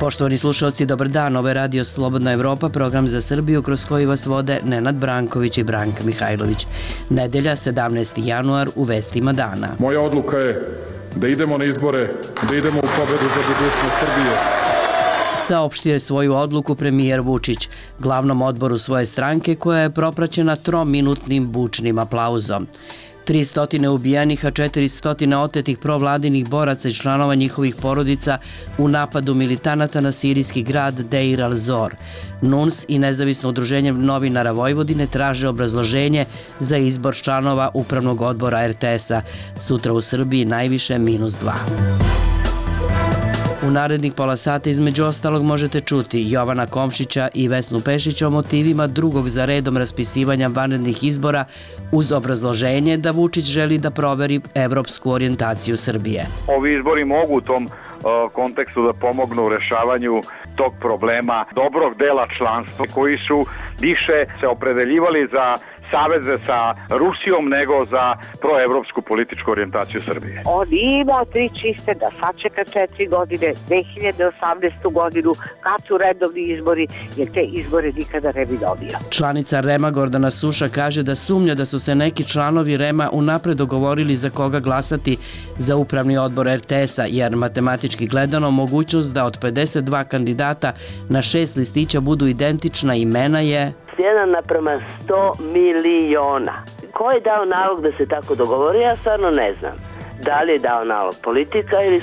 Poštovani slušalci, dobar dan. Ovo je Radio Slobodna Evropa, program za Srbiju kroz koji vas vode Nenad Branković i Branka Mihajlović. Nedelja, 17. januar, u vestima dana. Moja odluka je da idemo na izbore, da idemo u pobedu za budućnost Srbije. Saopštio je svoju odluku premijer Vučić glavnom odboru svoje stranke, koja je propraćena trominutnim bučnim aplauzom. 300 ubijenih, a 400 otetih provladinih boraca i članova njihovih porodica u napadu militanata na sirijski grad Deir al-Zor. NUNS i Nezavisno udruženje novinara Vojvodine traže obrazloženje za izbor članova Upravnog odbora RTS-a. Sutra u Srbiji najviše -2. U narednih pola sata između ostalog možete čuti Jovana Komšića i Vesnu Pešić o motivima drugog za redom raspisivanja vanrednih izbora uz obrazloženje da Vučić želi da proveri evropsku orijentaciju Srbije. Ovi izbori mogu u tom kontekstu da pomognu u rešavanju tog problema dobrog dela članstva koji su više se opredeljivali za saveze sa Rusijom nego za proevropsku političku orijentaciju Srbije. On ima 3 čiste da sačeka 4 godine, 2018. godinu, kad su redovni izbori, jer te izbore nikada ne bi dobio. Članica REM-a Gordana Suša kaže da sumnja da su se neki članovi REM-a unapred dogovorili za koga glasati za upravni odbor RTS-a, jer matematički gledano mogućnost da od 52 kandidata na 6 listića budu identična imena je 1:100 miliona. Ko je dao nalog da se tako dogovori, ja stvarno ne znam. Da li je dao nalog politika ili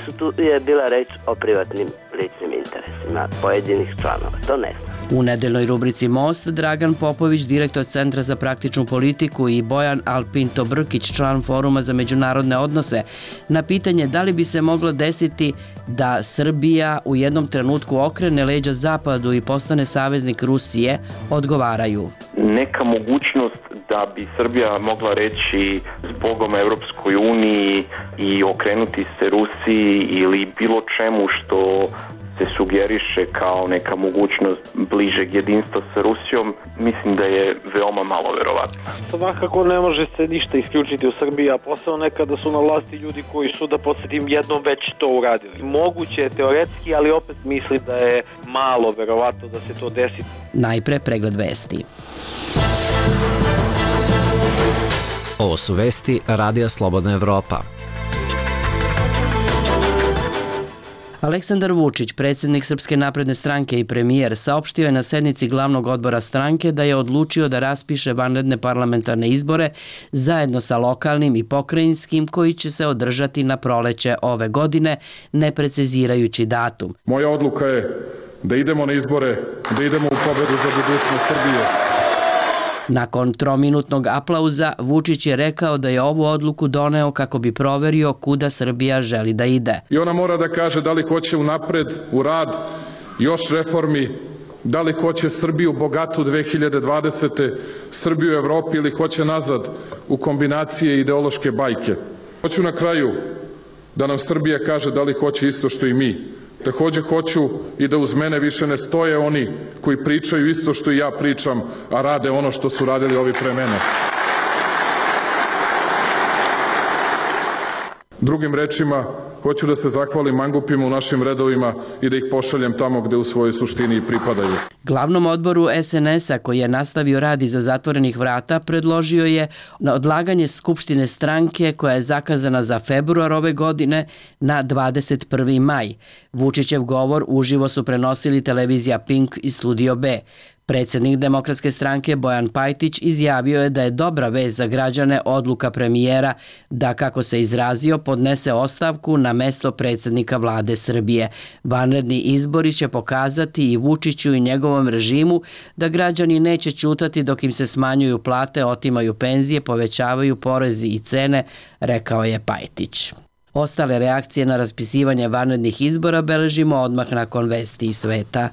je bila reč o privatnim ličnim interesima pojedinih članova, to ne znam. U nedeljnoj rubrici Most, Dragan Popović, direktor Centra za praktičnu politiku, i Bojan Alpinto Brkić, član Foruma za međunarodne odnose, na pitanje da li bi se moglo desiti da Srbija u jednom trenutku okrene leđa Zapadu i postane saveznik Rusije, odgovaraju. Neka mogućnost da bi Srbija mogla reći zbogom Evropskoj uniji i okrenuti se Rusiji ili bilo čemu što se sugeriše kao neka mogućnost bližeg jedinstva sa Rusijom, mislim da je veoma malo verovatno. Svakako ne može se ništa isključiti u Srbiji, a posebno nekada su na vlasti ljudi koji su, da podsjetim, jednom već to uradili. Moguće je teoretski, ali opet mislim da je malo verovatno da se to desi. Najpre pregled vesti. Ovo su vesti Radija Slobodna Evropa. Aleksandar Vučić, predsjednik Srpske napredne stranke i premijer, saopštio je na sednici glavnog odbora stranke da je odlučio da raspiše vanredne parlamentarne izbore zajedno sa lokalnim i pokrajinskim koji će se održati na proleće ove godine, ne precizirajući datum. Moja odluka je da idemo na izbore, da idemo u pobedu za budućnost Srbije. Nakon trominutnog aplauza, Vučić je rekao da je ovu odluku doneo kako bi proverio kuda Srbija želi da ide. I ona mora da kaže da li hoće unapred, u rad, još reformi, da li hoće Srbiju bogatu 2020. Srbiju u Evropi ili hoće nazad u kombinacije ideološke bajke. Hoću na kraju da nam Srbija kaže da li hoće isto što i mi. Takođe hoću i da uz mene više ne stoje oni koji pričaju isto što i ja pričam, a rade ono što su radili ovi pre mene. Drugim rečima, hoću da se zahvalim mangupima u našim redovima i da ih pošaljem tamo gde u svojoj suštini i pripadaju. Glavnom odboru SNS-a, koji je nastavio rad iza zatvorenih vrata, predložio je na odlaganje Skupštine stranke koja je zakazana za februar ove godine na 21. maj. Vučićev govor uživo su prenosili televizija Pink i Studio B. Predsjednik Demokratske stranke Bojan Pajtić izjavio je da je dobra vest za građane odluka premijera da, kako se izrazio, podnese ostavku na mesto predsjednika vlade Srbije. Vanredni izbori će pokazati i Vučiću i njegovom režimu da građani neće ćutati dok im se smanjuju plate, otimaju penzije, povećavaju porezi i cene, rekao je Pajtić. Ostale reakcije na raspisivanje vanrednih izbora beležimo odmah nakon vesti iz sveta.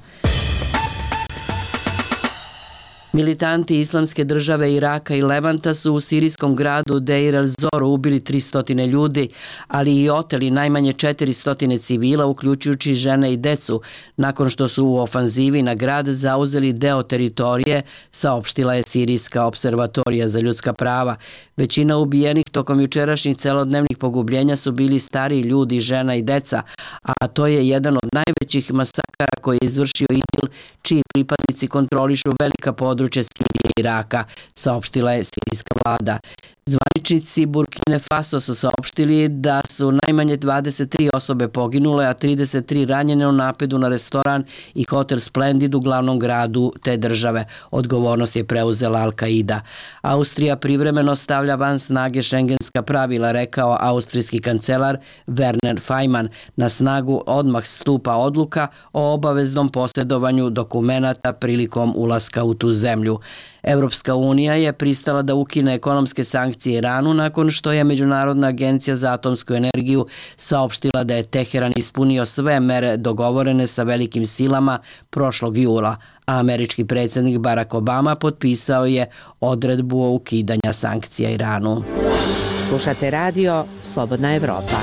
Militanti Islamske države Iraka i Levanta su u sirijskom gradu Deir el-Zor ubili 300 ljudi, ali i oteli najmanje 400 civila, uključujući žene i decu, nakon što su u ofanzivi na grad zauzeli deo teritorije, saopštila je Sirijska observatorija za ljudska prava. Većina ubijenih tokom jučerašnjih celodnevnih pogubljenja su bili stariji ljudi, žena i deca, a to je jedan od najvećih masakara koji je izvršio IDIL, čiji pripadnici kontrolišu velika područja Sirije i Iraka, saopštila je sirijska vlada. Zvaničnici Burkine Faso su saopštili da su najmanje 23 osobe poginule, a 33 ranjene u napadu na restoran i hotel Splendid u glavnom gradu te države. Odgovornost je preuzela Al-Qaida. Austrija privremeno stavlja van snage šengenska pravila, rekao austrijski kancelar Werner Faymann. Na snagu odmah stupa odluka o obaveznom posjedovanju dokumenata prilikom ulaska u tu zemlju. Evropska unija je pristala da ukine ekonomske sankcije Iranu nakon što je Međunarodna agencija za atomsku energiju saopštila da je Teheran ispunio sve mere dogovorene sa velikim silama prošlog jula, a američki predsjednik Barack Obama potpisao je odredbu o ukidanju sankcija Iranu. Slušate radio Slobodna Evropa.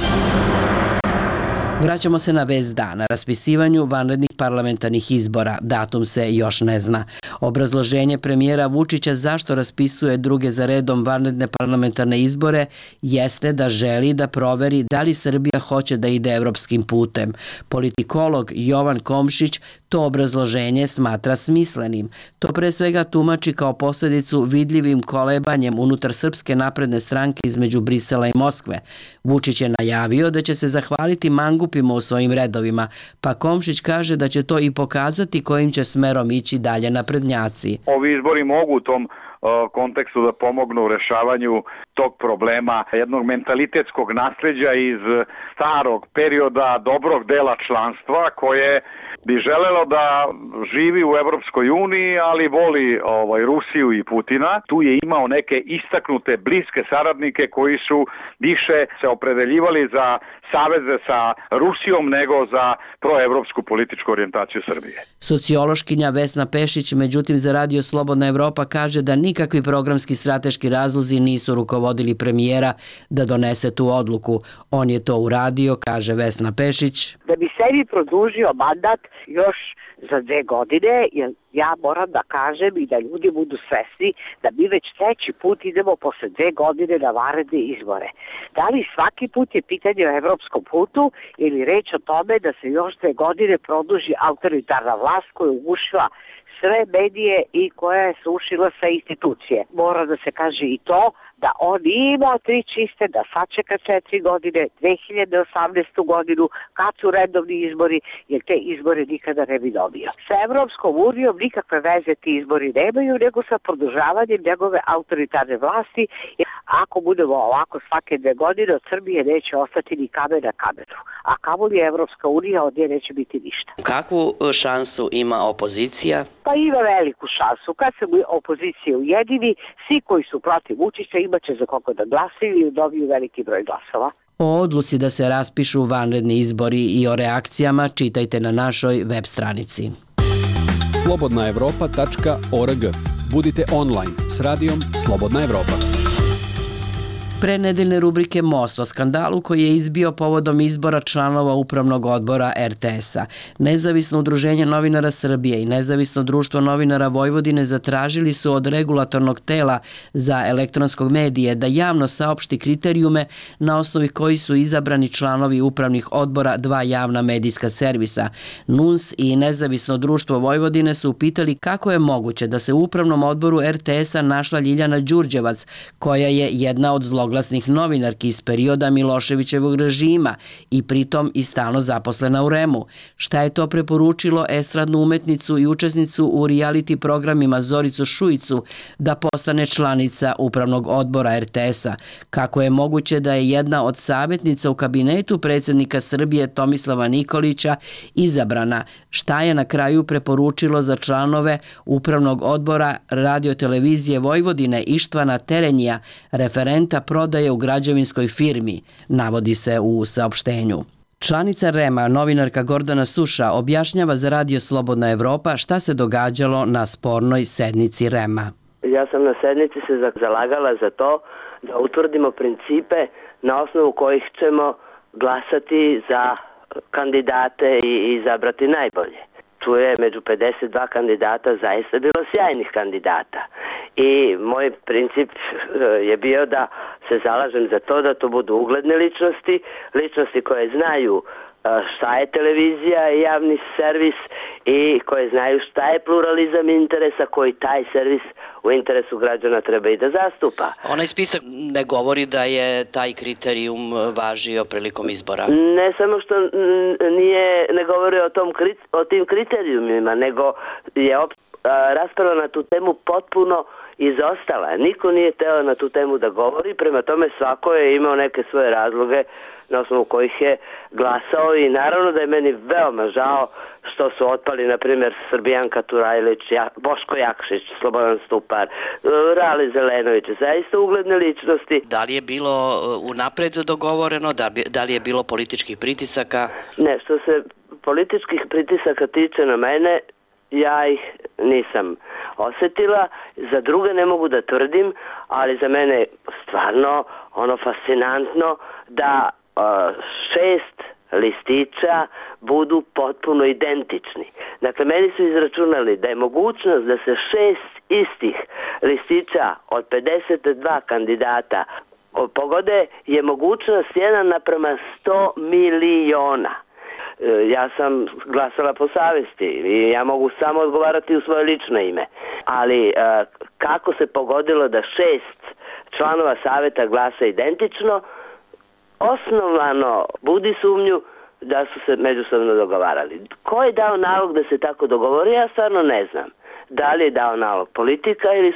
Vraćamo se na vest dana, raspisivanju vanrednih parlamentarnih izbora. Datum se još ne zna. Obrazloženje premijera Vučića zašto raspisuje druge za redom vanredne parlamentarne izbore jeste da želi da proveri da li Srbija hoće da ide evropskim putem. Politikolog Jovan Komšić to obrazloženje smatra smislenim. To pre svega tumači kao posljedicu vidljivim kolebanjem unutar Srpske napredne stranke između Brisela i Moskve. Vučić je najavio da će se zahvaliti mangupima u svojim redovima, pa Komšić kaže da će to i pokazati kojim će smerom ići dalje naprednjaci. Ovi izbori mogu u tom kontekstu da pomognu u rešavanju tog problema, jednog mentalitetskog nasleđa iz starog perioda dobrog dela članstva koje bi želelo da živi u Evropskoj uniji, ali voli Rusiju i Putina. Tu je imao neke istaknute bliske saradnike koji su više se opredeljivali za saveze sa Rusijom nego za proevropsku političku orijentaciju Srbije. Sociološkinja Vesna Pešić, međutim, za Radio Slobodna Evropa kaže da nikakvi programski strateški razlozi nisu rukovodili premijera da donese tu odluku. On je to uradio, kaže Vesna Pešić. Da bi sebi produžio mandat još za 2 godine, jer ja moram da kažem i da ljudi budu svesni da mi već 3. put idemo posle 2 godine na vanredne izbore. Da li svaki put je pitanje o evropskom putu ili reč o tome da se još 2 godine produži autoritarna vlast koja je ugušila sve medije i koja je srušila sve institucije. Mora da se kaže i to da on nije imao 3 čiste, da sačeka 4 godine, 2018. godinu, kad su redovni izbori, jer te izbore nikada ne bi dobio. Sa Evropskom unijom nikakve veze ti izbori nemaju, nego sa produžavanjem njegove autoritarne vlasti. Ako budemo ovako svake 2 godine, od Srbije neće ostati ni kamen na kamenu. A kamoli Evropska unija, od nje neće biti ništa. Kakvu šansu ima opozicija? Pa ima veliku šansu. Kad se opozicija ujedini, svi koji su protiv Vučića imaće za koga da glasaju i dobiju veliki broj glasova. O odluci da se raspišu vanredni izbori i o reakcijama čitajte na našoj web stranici. slobodnaevropa.org. Budite online s radijom Slobodna Evropa. Pre nedeljne rubrike Most o skandalu koji je izbio povodom izbora članova upravnog odbora RTS-a. Nezavisno udruženje novinara Srbije i Nezavisno društvo novinara Vojvodine zatražili su od regulatornog tela za elektronskog medije da javno saopšti kriterijume na osnovi koji su izabrani članovi upravnih odbora 2 javna medijska servisa. NUNS i Nezavisno društvo Vojvodine su upitali kako je moguće da se u upravnom odboru RTS-a našla Ljiljana Đurđevac, koja je jedna od zloglasnih novinarki iz perioda Miloševićevog režima i pritom i stalno zaposlena u REM-u. Šta je to preporučilo estradnu umetnicu i učesnicu u reality programima Zoricu Šuicu da postane članica upravnog odbora RTS-a? Kako je moguće da je jedna od savjetnica u kabinetu predsjednika Srbije Tomislava Nikolića izabrana? Šta je na kraju preporučilo za članove upravnog odbora radiotelevizije Vojvodine Ištvana Terenija, referenta prodaje u građevinskoj firmi, navodi se u saopštenju. Članica REM-a, novinarka Gordana Suša, objašnjava za Radio Slobodna Evropa šta se događalo na spornoj sednici REM-a. Ja sam na sednici se zalagala za to da utvrdimo principe na osnovu kojih ćemo glasati za kandidate i izabrati najbolje. Tu je među 52 kandidata zaista bilo sjajnih kandidata. I moj princip je bio da se zalažem za to da to budu ugledne ličnosti, ličnosti koje znaju šta je televizija i javni servis i koje znaju šta je pluralizam interesa koji taj servis u interesu građana treba i da zastupa. Onaj spisak ne govori da je taj kriterijum važio prilikom izbora. Ne samo što ne govori o tim kriterijumima, nego je rasprava na tu temu potpuno izostala. Niko nije teo na tu temu da govori, prema tome svako je imao neke svoje razloge na osnovu kojih je glasao i naravno da je meni veoma žao što su otpali, na primjer, Srbijanka Turajlić, Boško Jakšić, Slobodan Stupar, Rali Zelenović, zaista ugledne ličnosti. Da li je bilo unapred dogovoreno, da li je bilo političkih pritisaka? Ne, što se političkih pritisaka tiče na mene, ja ih nisam osetila, za druge ne mogu da tvrdim, ali za mene je stvarno fascinantno da 6 listića budu potpuno identični. Dakle, meni su izračunali da je mogućnost da se 6 istih listića od 52 kandidata pogode je mogućnost 1:100 miliona. Ja sam glasala po savjesti i ja mogu samo odgovarati u svoje lično ime. Ali kako se pogodilo da 6 članova savjeta glasa identično, osnovano budi sumnju da su se međusobno dogovarali. Ko je dao nalog da se tako dogovori, ja stvarno ne znam. Da li je dao nalog politika ili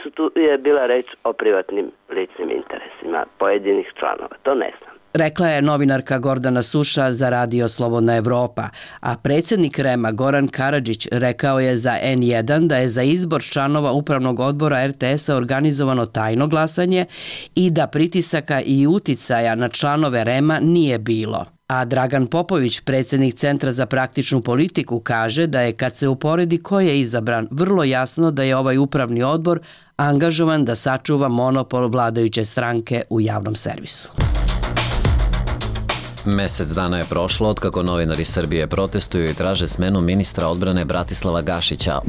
je bila reč o privatnim ličnim interesima pojedinih članova, to ne znam. Rekla je novinarka Gordana Suša za Radio Slobodna Evropa, a predsjednik REM-a Goran Karadžić rekao je za N1 da je za izbor članova upravnog odbora RTS-a organizovano tajno glasanje i da pritisaka i uticaja na članove REM-a nije bilo. A Dragan Popović, predsjednik Centra za praktičnu politiku, kaže da je kad se uporedi ko je izabran, vrlo jasno da je ovaj upravni odbor angažovan da sačuva monopol vladajuće stranke u javnom servisu. Mesec dana je prošlo otkako novinari Srbije protestuju i traže smenu ministra odbrane Bratislava Gašića.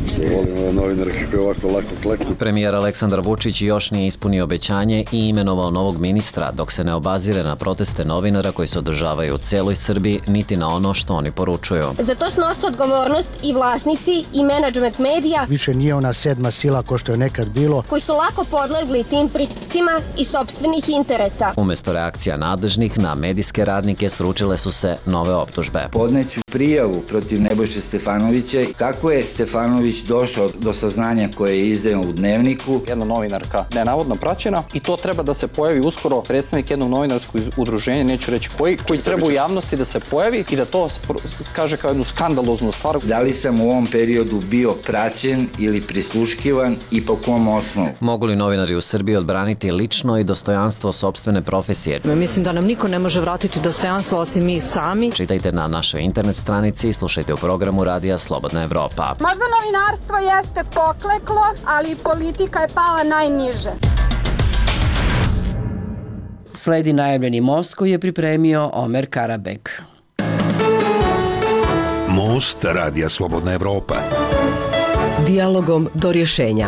Premijer Aleksandar Vučić još nije ispunio obećanje i imenovao novog ministra, dok se ne obazire na proteste novinara koji se održavaju u celoj Srbiji, niti na ono što oni poručuju. Za to snose odgovornost i vlasnici i menadžment medija. Više nije ona sedma sila ko što je nekad bilo. Koji su lako podlegli tim pritiscima i sopstvenih interesa. Umesto reakcija nadležnih na medijske radnike sručile su se nove optužbe. Podneću prijavu protiv Nebojše Stefanovića. Kako je Stefanović došao do saznanja koje je izdao u Dnevniku? Jedna novinarka nenavodno praćena i to treba da se pojavi uskoro predstavnik jednog novinarskog udruženja, neću reći koji treba u javnosti da se pojavi i da to kaže kao jednu skandaloznu stvar. Da li sam u ovom periodu bio praćen ili prisluškivan i po kom osnovu? Mogu li novinari u Srbiji odbraniti lično i dostojanstvo sopstvene profesije? Mislim da nam niko ne može vratiti dostojanstvo osim mi sami. Čitajte na našoj internet stranici i slušajte u programu Radija Slobodna Evropa. Možda novinarstvo jeste pokleklo, ali politika je pala najniže. Sledi najavljeni most koji je pripremio Omer Karabek. Most Radija Slobodna Evropa. Dijalogom do rješenja.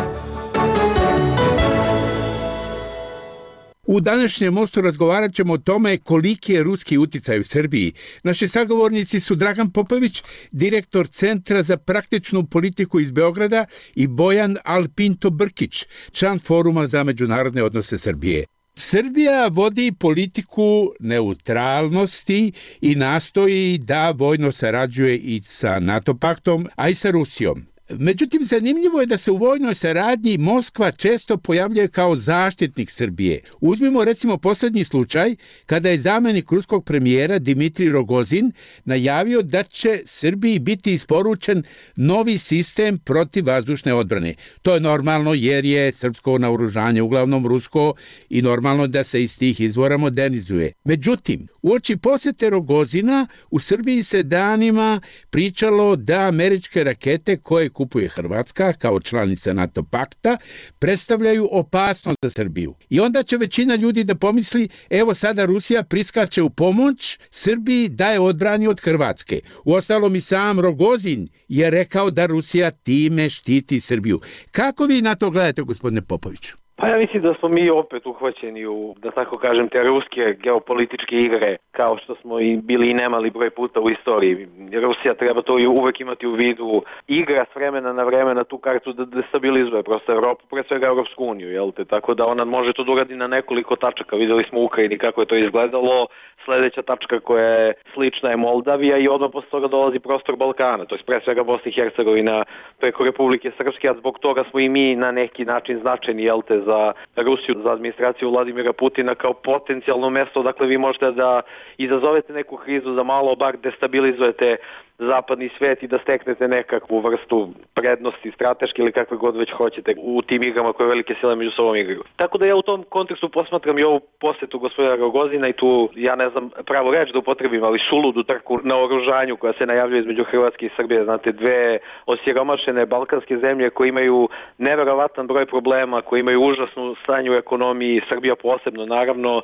U današnjem mostu razgovarat ćemo o tome koliki je ruski uticaj u Srbiji. Naši sagovornici su Dragan Popović, direktor Centra za praktičnu politiku iz Beograda, i Bojan Alpinto Brkić, član Foruma za međunarodne odnose Srbije. Srbija vodi politiku neutralnosti i nastoji da vojno sarađuje i sa NATO paktom, a i sa Rusijom. Međutim, zanimljivo je da se u vojnoj saradnji Moskva često pojavljuje kao zaštitnik Srbije. Uzmimo recimo posljednji slučaj kada je zamjenik ruskog premijera Dimitrij Rogozin najavio da će Srbiji biti isporučen novi sistem protivvazdušne odbrane. To je normalno jer je srpsko naoružanje uglavnom rusko i normalno da se iz tih izvora modernizuje. Međutim, uoči posjete Rogozina u Srbiji se danima pričalo da američke rakete koje kupuje Hrvatska kao članica NATO pakta predstavljaju opasnost za Srbiju. I onda će većina ljudi da pomisli, evo sada Rusija priskače u pomoć Srbiji da je odbrani od Hrvatske. Uostalom i sam Rogozin je rekao da Rusija time štiti Srbiju. Kako vi na to gledate, gospodine Popoviću? Pa ja mislim da smo mi opet uhvaćeni u, da tako kažem, te ruske geopolitičke igre, kao što smo i bili i nemali broj puta u istoriji. Rusija treba to i uvek imati u vidu. Igra s vremena na vreme na tu kartu da destabilizuje prosto Evropu, pre svega Evropsku uniju, jel te? Tako da ona može to da uradi na nekoliko tačaka. Videli smo u Ukrajini kako je to izgledalo. Sledeća tačka koja je slična je Moldavija i odmah posle toga dolazi prostor Balkana, to je pre svega Bosna i Hercegovina preko Republike Srpske, a zbog toga smo i mi na neki način značajni, jel te, za Rusiju, za administraciju Vladimira Putina kao potencijalno mesto, dakle vi možete da izazovete neku krizu, da malo bar destabilizujete zapadni svet i da steknete nekakvu vrstu prednosti strateške ili kakve god već hoćete u tim igrama koje velike sile među sobom igraju. Tako da ja u tom kontekstu posmatram i ovu posjetu gospodina Rogozina i tu, ja ne znam pravo reč da upotrebim, ali suludu trku na oružanju koja se najavljuje između Hrvatske i Srbije. Znate, dve osiromašene balkanske zemlje koje imaju neverovatan broj problema, koje imaju užasnu stanje u ekonomiji, Srbija posebno, naravno,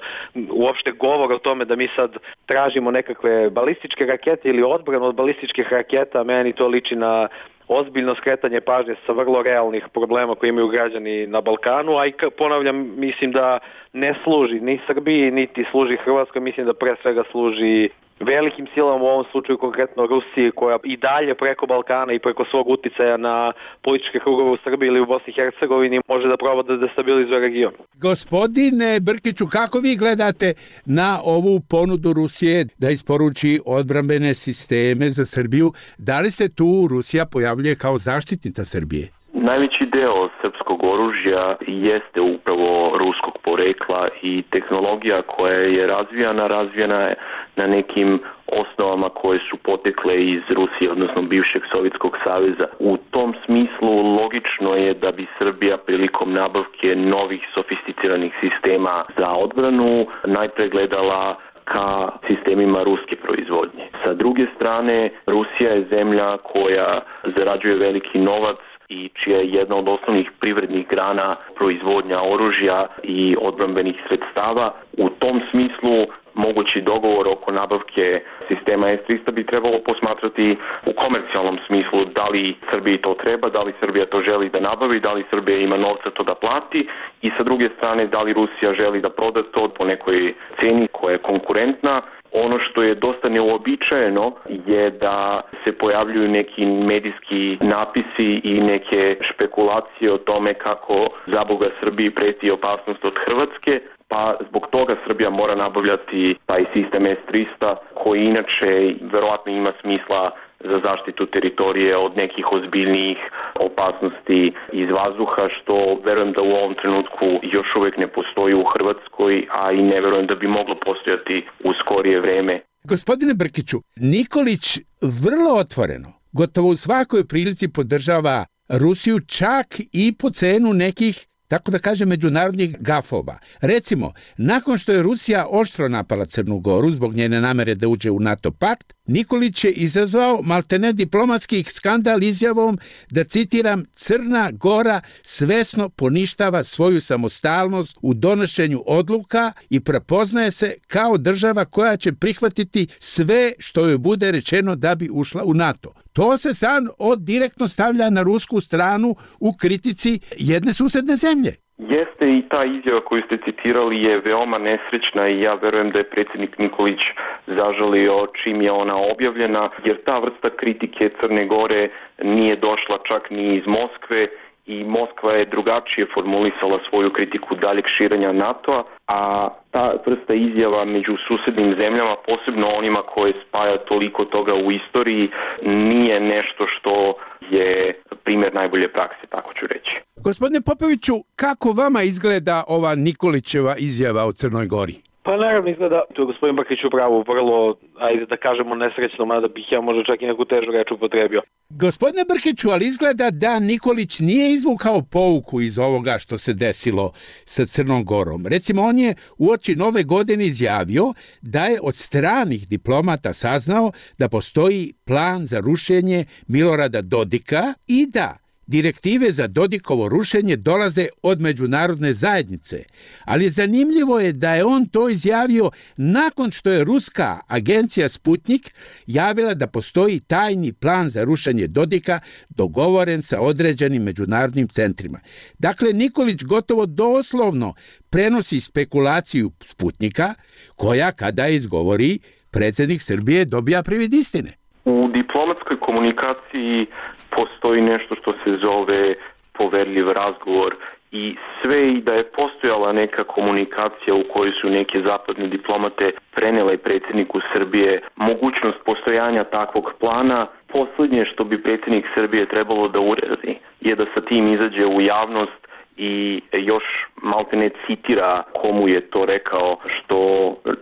uopšte govor o tome da mi sad tražimo nekakve balističke rakete ili odbranu od balističkih raketa, meni to liči na ozbiljno skretanje pažnje sa vrlo realnih problema koje imaju građani na Balkanu, a i ponavljam, mislim da ne služi ni Srbiji, niti služi Hrvatskoj, mislim da pre svega služi velikim silama, u ovom slučaju konkretno Rusiji, koja i dalje preko Balkana i preko svog uticaja na političke krugove u Srbiji ili u Bosni i Hercegovini može da proba da destabilizuje region. Gospodine Brkiću, kako vi gledate na ovu ponudu Rusije da isporuči odbrambene sisteme za Srbiju? Da li se tu Rusija pojavljuje kao zaštitnica Srbije? Najveći deo srpskog oružja jeste upravo ruskog porekla i tehnologija koja je razvijana je na nekim osnovama koje su potekle iz Rusije, odnosno bivšeg Sovjetskog saveza. U tom smislu logično je da bi Srbija prilikom nabavke novih sofisticiranih sistema za odbranu najpre gledala ka sistemima ruske proizvodnje. Sa druge strane, Rusija je zemlja koja zarađuje veliki novac i čija je jedna od osnovnih privrednih grana proizvodnja oružja i odbrambenih sredstava. U tom smislu mogući dogovor oko nabavke sistema S-300 bi trebalo posmatrati u komercijalnom smislu, da li Srbiji to treba, da li Srbija to želi da nabavi, da li Srbija ima novca to da plati i sa druge strane da li Rusija želi da proda to po nekoj ceni koja je konkurentna. Ono što je dosta neuobičajeno je da se pojavljuju neki medijski napisi i neke špekulacije o tome kako zaboga Srbiji preti opasnost od Hrvatske, pa zbog toga Srbija mora nabavljati taj sistem S-300 koji inače verovatno ima smisla za zaštitu teritorije od nekih ozbiljnijih opasnosti iz vazduha, što verujem da u ovom trenutku još uvek ne postoji u Hrvatskoj, a i ne verujem da bi moglo postojati u skorije vreme. Gospodine Brkiću, Nikolić vrlo otvoreno, gotovo u svakoj prilici podržava Rusiju, čak i po cenu nekih, tako da kaže, međunarodnih gafova. Recimo, nakon što je Rusija oštro napala Crnu Goru zbog njene namere da uđe u NATO pakt, Nikolić je izazvao maltene diplomatski skandal izjavom da, citiram, Crna Gora svesno poništava svoju samostalnost u donošenju odluka i prepoznaje se kao država koja će prihvatiti sve što joj bude rečeno da bi ušla u NATO. To se sad direktno stavlja na rusku stranu u kritici jedne susedne zemlje. Jeste, i ta izjava koju ste citirali je veoma nesrećna i ja verujem da je predsjednik Nikolić zažalio čim je ona objavljena, jer ta vrsta kritike Crne Gore nije došla čak ni iz Moskve i Moskva je drugačije formulisala svoju kritiku daljeg širenja NATO-a, a ta vrsta izjava među susednim zemljama, posebno onima koje spaja toliko toga u istoriji, nije nešto što je primjer najbolje prakse, tako ću reći. Gospodine Popoviću, kako vama izgleda ova Nikolićeva izjava o Crnoj Gori? Pa naravno izgleda, tu je gospodin Brkić upravo vrlo, ajde da kažemo nesrećno, mada bih ja možda čak i neku težu reč upotrebio. Gospodine Brkiću, ali izgleda da Nikolić nije izvukao pouku iz ovoga što se desilo sa Crnom Gorom. Recimo, on je uoči Nove godine izjavio da je od stranih diplomata saznao da postoji plan za rušenje Milorada Dodika i da direktive za Dodikovo rušenje dolaze od međunarodne zajednice, ali zanimljivo je da je on to izjavio nakon što je ruska agencija Sputnik javila da postoji tajni plan za rušenje Dodika dogovoren sa određenim međunarodnim centrima. Dakle, Nikolić gotovo doslovno prenosi spekulaciju Sputnika, koja kada izgovori predsjednik Srbije dobija privid istine. U diplomatskoj komunikaciji postoji nešto što se zove poverljiv razgovor i sve i da je postojala neka komunikacija u kojoj su neke zapadne diplomate prenijele predsjedniku Srbije mogućnost postojanja takvog plana, posljednje što bi predsjednik Srbije trebalo da uradi je da sa tim izađe u javnost i još maltene citira komu je to rekao, što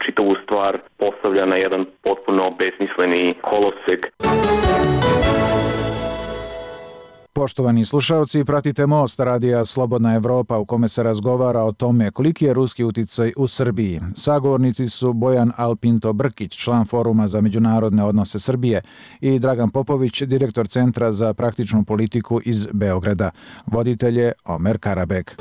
čitavu stvar postavlja na jedan potpuno besmisleni kolosek. Poštovani slušalci, pratite Most radija Slobodna Evropa u kome se razgovara o tome koliki je ruski uticaj u Srbiji. Sagovornici su Bojan Alpinto Brkić, član Foruma za međunarodne odnose Srbije, i Dragan Popović, direktor Centra za praktičnu politiku iz Beograda. Voditelj je Omer Karabek.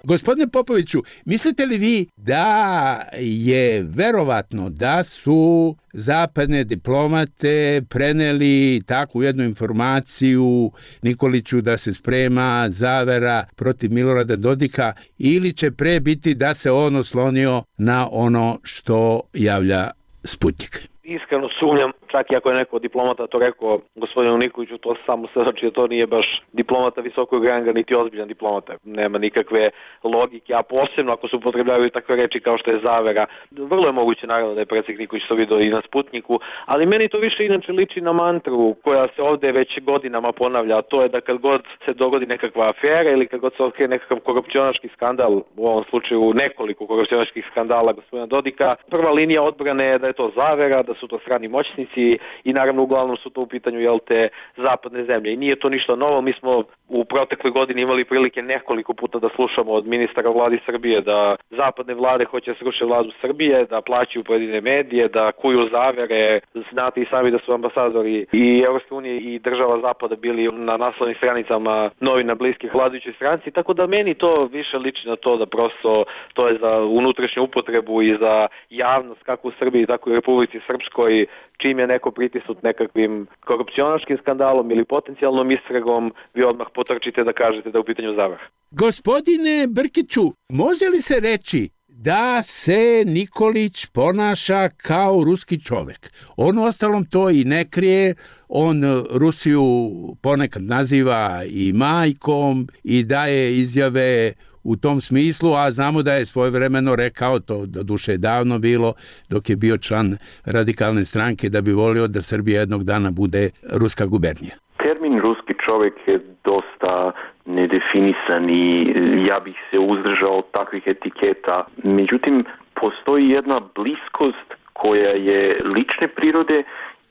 Gospodine Popoviću, mislite li vi da je verovatno da su zapadne diplomate preneli takvu jednu informaciju Nikoliću da se sprema zavera protiv Milorada Dodika, ili će pre biti da se on oslonio na ono što javlja Sputnik? Iskreno sumnjam, čak i ako je neko diplomata to rekao gospodinu Nikoliću, to samo se znači da to nije baš diplomata visokog ranga, niti ozbiljan diplomata. Nema nikakve logike, a posebno ako se upotrebljavaju takve reči kao što je zavera. Vrlo je moguće naravno da je predsjednik Nikolić to vidio i na Sputniku, ali meni to više inače liči na mantru koja se ovdje već godinama ponavlja, a to je da kad god se dogodi nekakva afera ili kad god se otkrije nekakav korupcionaški skandal, u ovom slučaju nekoliko korupcionaških skandala gospodina Dodika, prva linija odbrane je da je to zavera, da su to strani moćnici i naravno uglavnom su to u pitanju te zapadne zemlje. I nije to ništa novo, mi smo u protekloj godini imali prilike nekoliko puta da slušamo od ministara vladi Srbije da zapadne vlade hoće da sruše vladu Srbije, da plaćaju pojedine medije, da kuju zavere. Znate i sami da su ambasadori i Evropske unije i država zapada bili na naslovnim stranicama novina bliskih vladajućoj stranci, tako da meni to više liči na to da prosto to je za unutrašnju upotrebu i za javnost kako u Srbiji, tako i u Republici Srpskoj, čim je neko pritisnut nekakvim korupcionaškim skandalom ili potencijalnom istragom, vi odmah potrčite da kažete da je u pitanju zavara. Gospodine Brkiću, može li se reći da se Nikolić ponaša kao ruski čovjek? On ostalom to i ne krije, on Rusiju ponekad naziva i majkom i daje izjave u tom smislu, a znamo da je svojevremeno rekao, to doduše je davno bilo, dok je bio član radikalne stranke, da bi volio da Srbija jednog dana bude ruska gubernija. Termin ruski čovjek je dosta nedefinisan i ja bih se uzdržao od takvih etiketa. Međutim, postoji jedna bliskost koja je lične prirode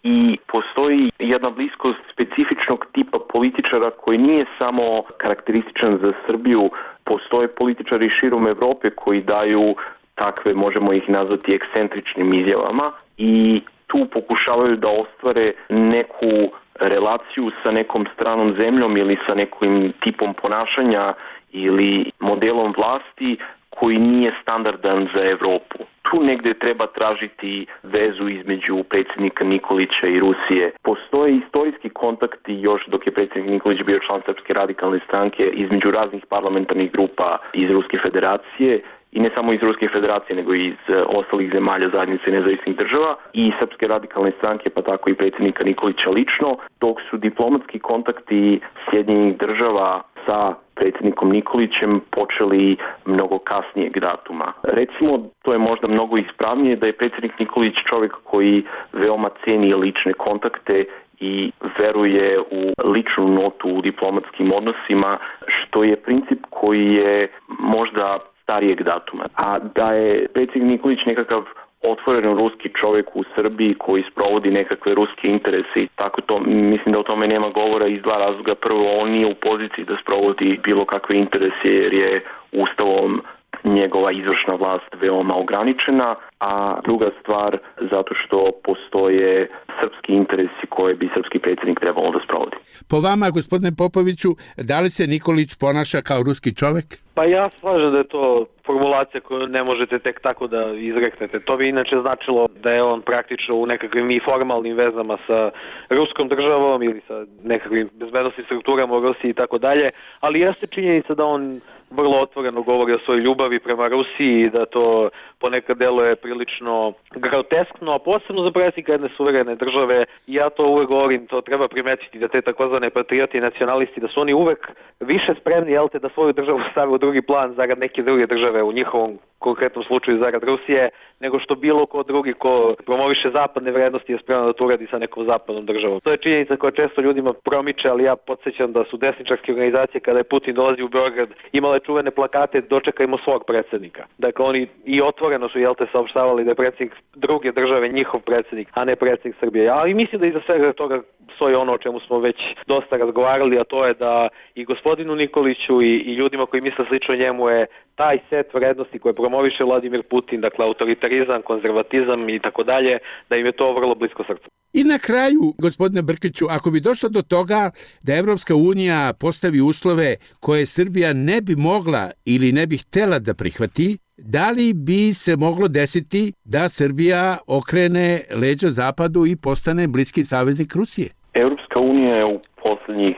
i postoji jedna bliskost specifičnog tipa političara koji nije samo karakterističan za Srbiju. Postoje političari širom Evrope koji daju takve, možemo ih nazvati, ekscentričnim izjavama i tu pokušavaju da ostvare neku relaciju sa nekom stranom zemljom ili sa nekim tipom ponašanja ili modelom vlasti koji nije standardan za Evropu. Tu negdje treba tražiti vezu između predsjednika Nikolića i Rusije. Postoje istorijski kontakti još dok je predsjednik Nikolić bio član Srpske radikalne stranke između raznih parlamentarnih grupa iz Ruske federacije i ne samo iz Ruske federacije, nego i iz ostalih zemalja zajednice nezavisnih država i Srpske radikalne stranke, pa tako i predsjednika Nikolića lično, dok su diplomatski kontakti Sjedinjenih država sa predsjednikom Nikolićem počeli mnogo kasnijeg datuma. Recimo, to je možda mnogo ispravnije da je predsjednik Nikolić čovjek koji veoma ceni lične kontakte i veruje u ličnu notu u diplomatskim odnosima, što je princip koji je možda starijeg datuma. A da je predsjednik Nikolić nekakav otvoren ruski čovjek u Srbiji koji sprovodi nekakve ruske interese i tako to, mislim da o tome nema govora iz dva razloga. Prvo, on nije u poziciji da sprovodi bilo kakve interese jer je Ustavom njegova izvršna vlast veoma ograničena, a druga stvar zato što postoje srpski interesi koje bi srpski predsjednik trebalo da sprovodi. Po vama, gospodine Popoviću, da li se Nikolić ponaša kao ruski čovjek? Pa ja slažem da je to formulacija koju ne možete tek tako da izreknete. To bi inače značilo da je on praktično u nekakvim i formalnim vezama sa ruskom državom ili sa nekakvim bezbednostnim strukturama u Rusiji i tako dalje, ali jeste činjenica da on vrlo otvoreno govori o svojoj ljubavi prema Rusiji i da to ponekad deluje prilično groteskno, a posebno za predsjednika jedne suverene države. I ja to uvek govorim, to treba primetiti da te takozvane patrioti i nacionalisti, da su oni uvek više spremni, da svoju državu stave u drugi plan zarad neke druge države, u njihovom konkretnom slučaju zarad Rusije, nego što bilo ko drugi ko promoviše zapadne vrednosti je spreman da to uradi sa nekom zapadnom državom. To je činjenica koja često ljudima promiče, ali ja podsjećam da su desničarske organizacije kada je Putin dolazi u Beograd imale čuvene plakate "Dočekajmo svog predsjednika". Dakle, oni i otvoreno su saopštavali da je predsjednik druge države njihov predsjednik, a ne predsjednik Srbije. Ali mislim da iza svega toga stoji ono o čemu smo već dosta razgovarali, a to je da i gospodinu Nikoliću i ljudima koji misle slično njemu je taj set vrednosti koje promoviše Vladimir Putin, dakle autoritarizam, konzervatizam i tako dalje, da im je to vrlo blisko srcu. I na kraju, gospodine Brkiću, ako bi došlo do toga da Evropska unija postavi uslove koje Srbija ne bi mogla ili ne bi htela da prihvati, da li bi se moglo desiti da Srbija okrene leđa zapadu i postane bliski saveznik Rusije? Europska unija je u posljednjih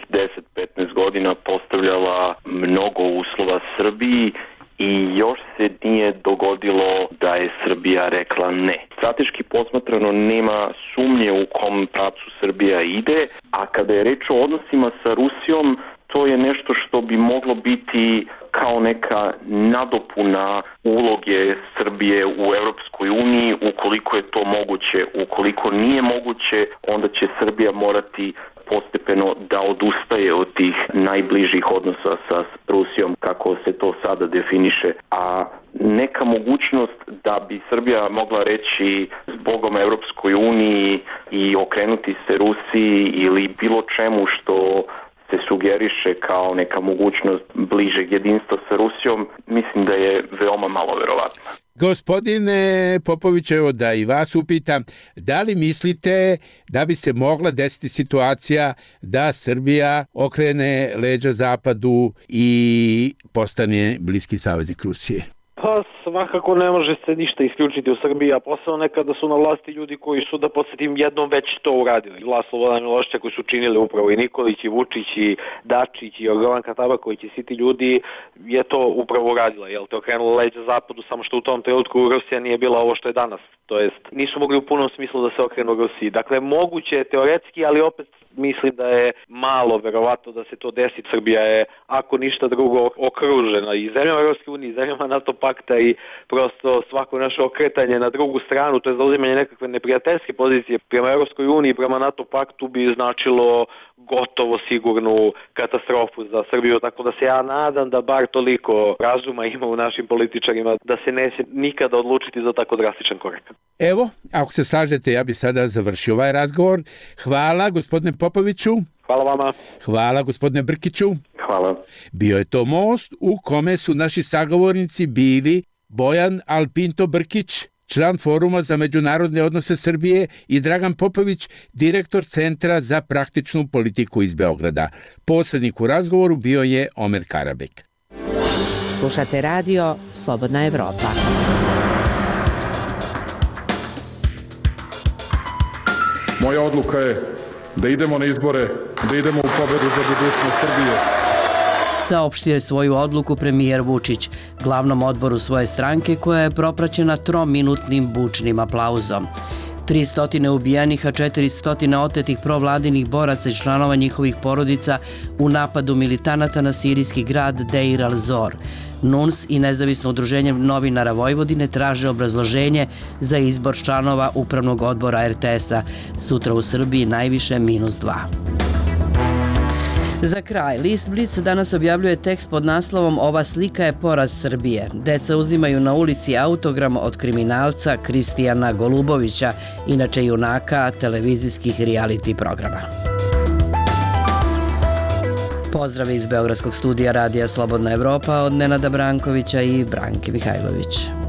10-15 godina postavljala mnogo uslova Srbiji i još se nije dogodilo da je Srbija rekla ne. Strateški posmatrano nema sumnje u kom pravcu Srbija ide, a kada je reč o odnosima sa Rusijom, to je nešto što bi moglo biti kao neka nadopuna uloge Srbije u Europskoj uniji, ukoliko je to moguće. Ukoliko nije moguće, onda će Srbija morati postepeno da odustaje od tih najbližih odnosa sa Rusijom, kako se to sada definiše. A neka mogućnost da bi Srbija mogla reći zbogom Europskoj uniji i okrenuti se Rusiji ili bilo čemu što se sugeriše kao neka mogućnost bližeg jedinstva sa Rusijom, mislim da je veoma malo verovatno. Gospodine Popović, evo da i vas upitam, da li mislite da bi se mogla desiti situacija da Srbija okrene leđa zapadu i postane bliski saveznik Rusije? Pa svakako ne može se ništa isključiti u Srbiji, a posebno nekada su na vlasti ljudi koji su, da podsjetim, jednom već to uradili. Vlast Slobodana Miloševića koji su činili upravo i Nikolić, i Vučić, i Dačić, i Jorgovanka Tabaković i svi ti ljudi je to upravo uradila. Te okrenula leđa zapadu, samo što u tom trenutku Rusija nije bila ovo što je danas. To jest, nisu mogli u punom smislu da se okrenu Rusiji. Dakle, moguće je teoretski, ali opet mislim da je malo verovatno da se to desi. Srbija je, ako ništa drugo, okružena i zemljama Europske unije, i zemljama NATO pakta i prosto svako naše okretanje na drugu stranu, to je zauzimanje nekakve neprijateljske pozicije prema Europskoj uniji, prema NATO paktu bi značilo gotovo sigurnu katastrofu za Srbiju, tako da se ja nadam da bar toliko razuma ima u našim političarima da se neće nikada odlučiti za tako drastičan korak. Evo, ako se slažete, ja bih sada završio ovaj razgovor. Hvala, gospodine Popoviću. Hvala vama. Hvala, gospodine Brkiću. Hvala. Bio je to most u kome su naši sagovornici bili Bojan Alpinto Brkić, član Foruma za međunarodne odnose Srbije, i Dragan Popović, direktor Centra za praktičnu politiku iz Beograda. Posrednik u razgovoru bio je Omer Karabek. Slušate radio Slobodna Evropa. Moja odluka je da idemo na izbore, da idemo u pobedu za budućnost Srbije. saopštio je svoju odluku premijer Vučić, glavnom odboru svoje stranke koja je propraćena trominutnim bučnim aplauzom. 300 ubijenih, a 400 otetih provladinih boraca i članova njihovih porodica u napadu militanata na sirijski grad Deir al-Zor. NUNS i Nezavisno udruženje novinara Vojvodine traže obrazloženje za izbor članova Upravnog odbora RTS-a. Sutra u Srbiji najviše -2. Za kraj, list Blic danas objavljuje tekst pod naslovom "Ova slika je poraz Srbije. Deca uzimaju na ulici autogram od kriminalca Kristijana Golubovića, inače junaka televizijskih reality programa." Pozdrav iz Beogradskog studija Radija Slobodna Evropa od Nenada Brankovića i Branke Mihajlović.